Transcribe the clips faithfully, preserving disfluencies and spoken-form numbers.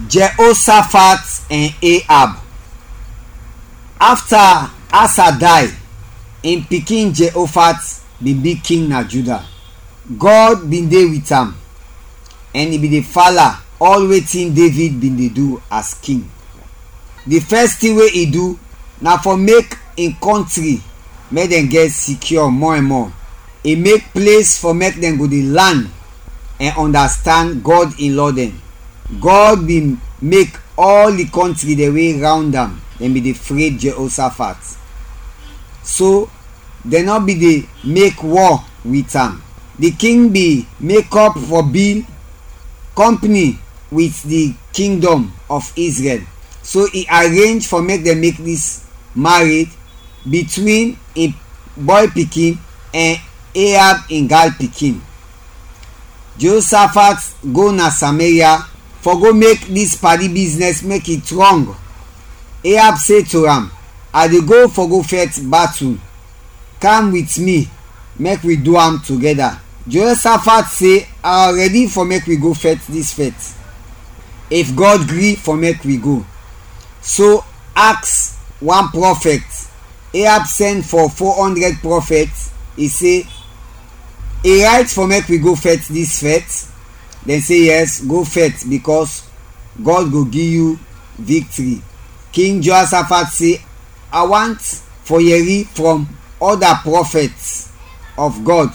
Jehoshaphat and Ahab. Afta Asa day, im pikin Jehoshaphat bin bi king na Juda. God bin de wit am, ɛn i bin de fala ɔl wetin David bin de du as king. Di fɛs tin we i du na fɔ mek in kɔntri mek dɛn gɛt sikyɔ mɔ ɛn mɔ. I mek ples fɔ mek dɛn go de lan ɛn ɔndastand Gɔd in lɔ dɛn. Gɔd bin mek ɔl di kɔntri dɛn we rawnd am dɛn bin de fred Jehoshafat. So dɛn nɔ bin de mek wɔ wit am. Di king bin mekɔp fɔ bil kɔmpni wit di kingdɔm of Izrɛl, so i arenj fɔ mek dɛn mek dis mared bitwin in bɔy pikin ɛn Ahab in gal pikin. Jehoshafat go na Sameria fɔ go mek dis padi biznɛs mek i trɔng. Ahab se to am, "A de go fɔ go fɛt batul. Kam wit mi, mek wi du am togɛda." Jehoshafat se, "A rɛdi fɔ mek wi go fɛt dis fɛt, if Gɔd gri fɔ mek wi go." So aks wan prɔfɛt. Ahab sɛn fɔ fo ɔndrɛd prɔfɛt, i se, "I rayt fɔ mek wi go fɛt dis fɛt?" Dɛn se, "Yɛs, go fɛt, bikɔs Gɔd go gi yu viktri." King Jehoshafat se, "A want fɔ yɛri frɔm ɔda prɔfɛt of Gɔd.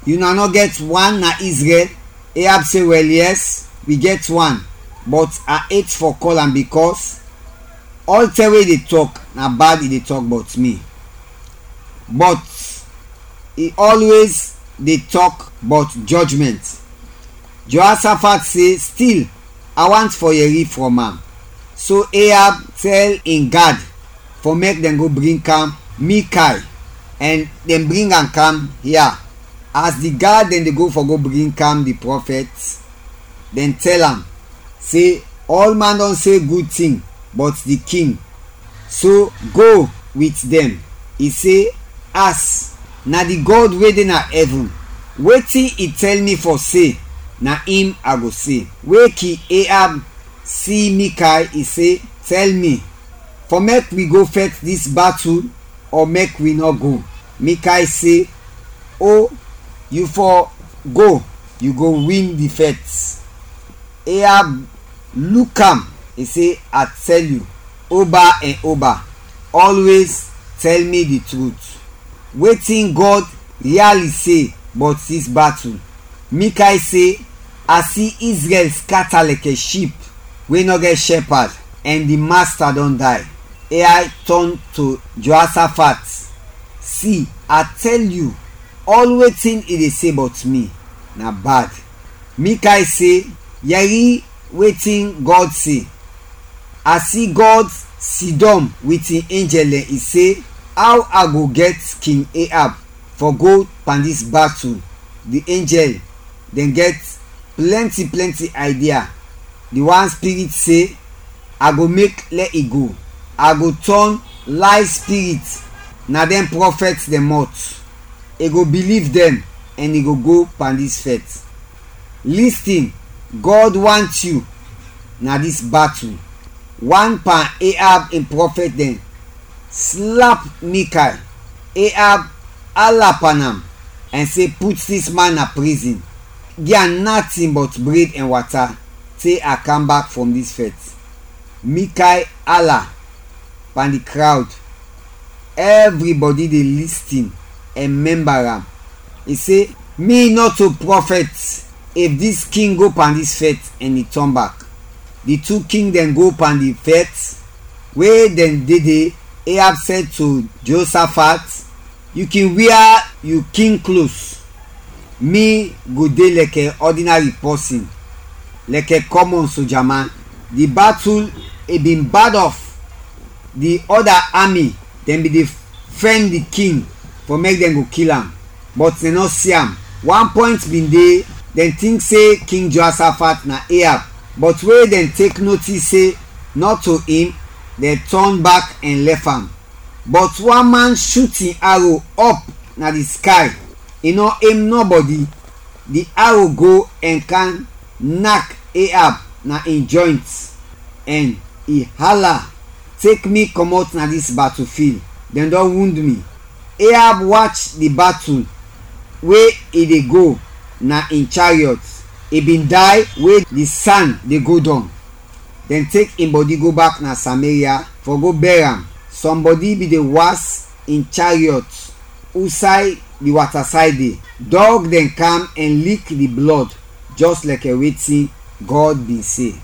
Una nɔ gɛt wan na Izrɛl?" Ahab se, "Wɛl, yɛs, wi gɛt wan, bɔt a et fɔ kɔl am, bikɔs ɔltɛm we i de tɔk, na bad i de tɔk bɔt mi. Bɔt i ɔlwez de tɔk bɔt jɔjmɛnt." Jehoshafat se, "Stil, a want fɔ yɛri frɔm am." So Ahab tɛl in gad fɔ mek dɛn go bring kam Mikay, ɛn dɛn bring am kam ya. As di gad dɛn de go fɔ go bring kam di prɔfɛt, dɛn tɛl am se, "Ɔlman dɔn se gud tin bɔt di king, so go wit dɛn." I se, "As na di Gɔd we de na ɛvin, wetin i tɛl mi fɔ se, na im a go se." We King Ahab si Mikay, i se, "Tɛl mi, fɔ mek wi go fɛt dis batul ɔ mek wi nɔ go?" Mikay se, "O, yu fɔ go, yu go win di fɛt." Ahab luk am, i se, "A tɛl yu, oba ɛn oba, ɔlwez tɛl mi di trut. Wetin Gɔd riali se bɔt dis batul?" Mikay se, "A si Izrɛl skata lɛkɛ ship we nɔ gɛt shɛpad, ɛn di Masta dɔn day." Ahab tɔn to Jehoshafat, "Si, a tɛl yu, ɔl wetin i de se bɔt mi, na bad." Mikay se, "Yɛri wetin Gɔd se. A si Gɔd sidɔm wit in enjɛl dɛn, i se, 'Aw a go gɛt King Ahab fɔ go pan dis batul?' Di enjɛl dɛn gɛt plɛnti plɛnti idea. Di wan spirit se, 'A go mek lɛ i go. A go tɔn lay spirit na dɛn prɔfɛt dɛn mɔt. I go biliv dɛn ɛn i go go pan dis fɛt.' Listin, Gɔd want yu na dis batul." Wan pan Ahab in prɔfɛt dɛn slap Mikay. Ahab ala pan am ɛn se, "Put dis man na prizin, gi am natin bɔt bred ɛn wata, te a kam bak frɔm dis fɛt." Mikay ala pan di krawd. Ɛvribɔdi de listin ɛn mɛmba am. I se, "Mi nɔto prɔfɛt if dis king go pan dis fɛt ɛn i tɔn bak." Di tu king dɛn go pan di fɛt. We dɛn de de, Ahab sɛl to Jehoshafat, "Yu kin wia yu king klos. Mi go de lɛkɛ ɔdinari pɔsin, lɛkɛ kɔmɔn sojaman." Di batul i bin bad ɔf. Di ɔda ami dɛn bin de fɛn di king fɔ mek dɛn go kil am, bɔt dɛn nɔ si am. Wan pɔint bin de, dɛn tink se King Jehoshafat na Ahab, bɔt we dɛn tek notis se nɔto im, dɛn tɔn bak ɛn lɛf am. Bɔt wan man shut in aro ɔp na di sky, i nɔ em nɔbɔdi. Di aro go ɛn kam nak Ahab na in jɔynt. ɛn i hala, "Tek mi kɔmɔt na dis battlefield, dɛn dɔn wund mi." Ahab wach di battle we i de go na in chariot, i bin day we di san de go dɔng. Dɛn tek in bɔdi go bak na Sameria fɔ go bɛr am. Sɔm bɔdi bin de was in chariot usay di watasay de. Dɔg dɛn kam ɛn lik di blɔd, jɔs lɛkɛ wetin Gɔd bin se.